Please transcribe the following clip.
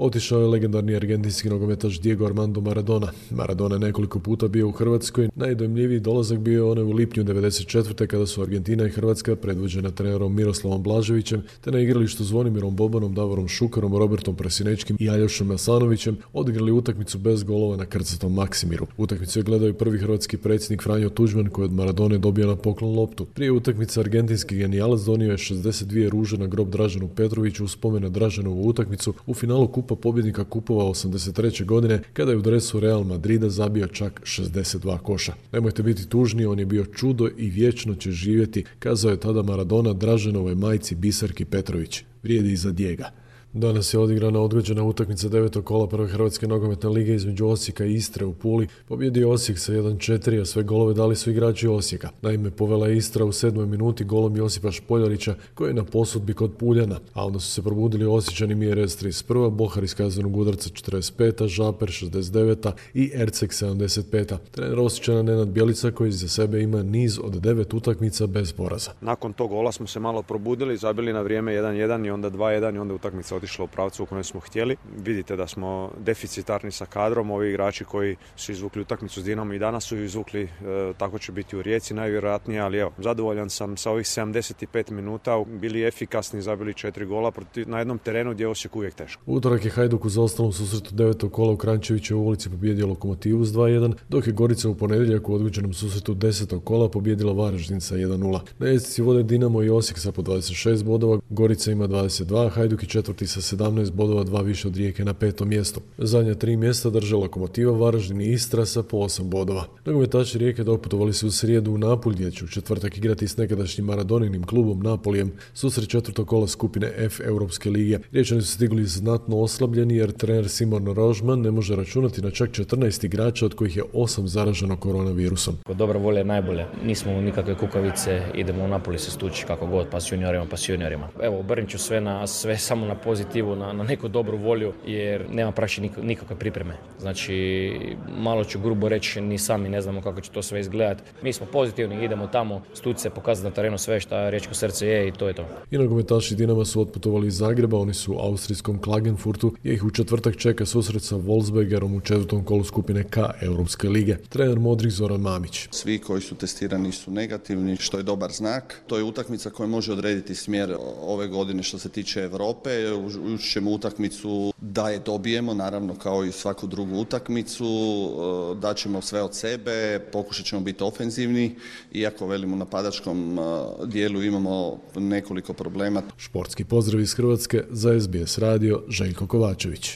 otišao je legendarni argentinski nogometaš Diego Armando Maradona. Maradona je nekoliko puta bio u Hrvatskoj, najdojmljiviji dolazak bio je onaj u lipnju 1994. kada su Argentina i Hrvatska, predvođena trenerom Miroslavom Blaževićem, te na igralištu Zvonimirom Bobanom, Davorom Šukarom, Robertom Presinečkim i Aljošom Masanovićem odigrali utakmicu bez golova na krcatom Maksimiru. Utakmicu je gledao i prvi hrvatski predsjednik Franjo Tuđman koji od Maradone dobio na poklon loptu. Prije utakmice argentinski genijalac donio je 62 ruže na grob Draženu Petroviću u spomen na Draženovu utakmicu u finalu Kupa pobjednika kupova 83. godine kada je u dresu Real Madrida zabio čak 62 koša. Nemojte biti tužni, on je bio čudo i vječno će živjeti, kazao je tada Maradona Draženovoj majci Biserki Petrović. Vrijedi i za Dijega. Danas je odigrana odgođena utakmica 9. kola prve Hrvatske nogometne lige između Osijeka i Istre u Puli. Pobjedio Osijek sa 1-4, a sve golove dali su igrači Osijeka. Naime, povela je Istra u 7. minuti golom Josipa Špoljarića koji je na posudbi kod Puljana, a onda su se probudili Osječani Mjerez 31, Bohar iz kaznenog udarca 45, Žaper 69 i Erceg 75. Trener Osječana Nenad Bjelica koji za sebe ima niz od 9 utakmica bez poraza. Nakon tog gola smo se malo probudili, zabili na vrijeme 1-1 i onda 2-1 i onda utakmica otišla u pravcu u kojem smo htjeli. Vidite da smo deficitarni sa kadrom, ovi igrači koji su izvukli utakmicu s Dinamom i danas su izvukli, tako će biti u Rijeci najvjerojatnije, ali evo, zadovoljan sam sa ovih 75 minuta, bili efikasni, zabili 4 gola na jednom terenu gdje je Osijek uvijek teško. Utorak je Hajduk u zaostalom susretu 9. kola u Kranjčevićevoj ulici pobjedio Lokomotivu s 2-1, dok je Gorica u ponedjeljak u odgođenom susretu 10. kola pobjedila Varaždin sa 1-0. Na ljestvici vode Dinamo i Osijek sa po 26 bodova, Gorica ima 22, Hajduk i četvrti sa 17 bodova, 2 više od Rijeke na 5. mjestu. Zadnja 3 mjesta drže Lokomotiva, Varaždin i Istra sa po 8 bodova. Nogometaši Rijeke doputovali su u srijedu u Napulj gdje će u četvrtak igrati s nekadašnjim Maradoninim klubom Napolijem susret 4. kola skupine F Europske lige. Riječani su stigli znatno oslabljeni jer trener Simon Rožman ne može računati na čak 14 igrača od kojih je 8 zaraženo koronavirusom. Dobra volja je najbolje. Nismo u nikakve kukavice, idemo u Napoli se stući kako god, pa s juniorima. Evo, obrnit ću sve samo na pozitivu, na neku dobru volju, jer nema praktički nikakve pripreme. Znači, malo ću grubo reći, ni sami ne znamo kako će to sve izgledati. Mi smo pozitivni, idemo tamo, stući se, pokazati na terenu sve što riječko srce je i to je to. I nogometaši Dinama su otputovali iz Zagreba, oni su u austrijskom Klagenfurtu, gdje ih u četvrtak čeka susret sa Wolfsbergerom u 4. kolu skupine K Europske lige. Trener Modrić Zoran Mamić. Svi koji su testirani su negativni, što je dobar znak. To je utakmica koja može odrediti smjer ove godine što se tiče Europe. Ući ćemo utakmicu da je dobijemo, naravno kao i svaku drugu utakmicu, daćemo sve od sebe, pokušat ćemo biti ofenzivni, iako velimo napadačkom dijelu imamo nekoliko problema. Športski pozdrav iz Hrvatske za SBS radio, Željko Kovačević.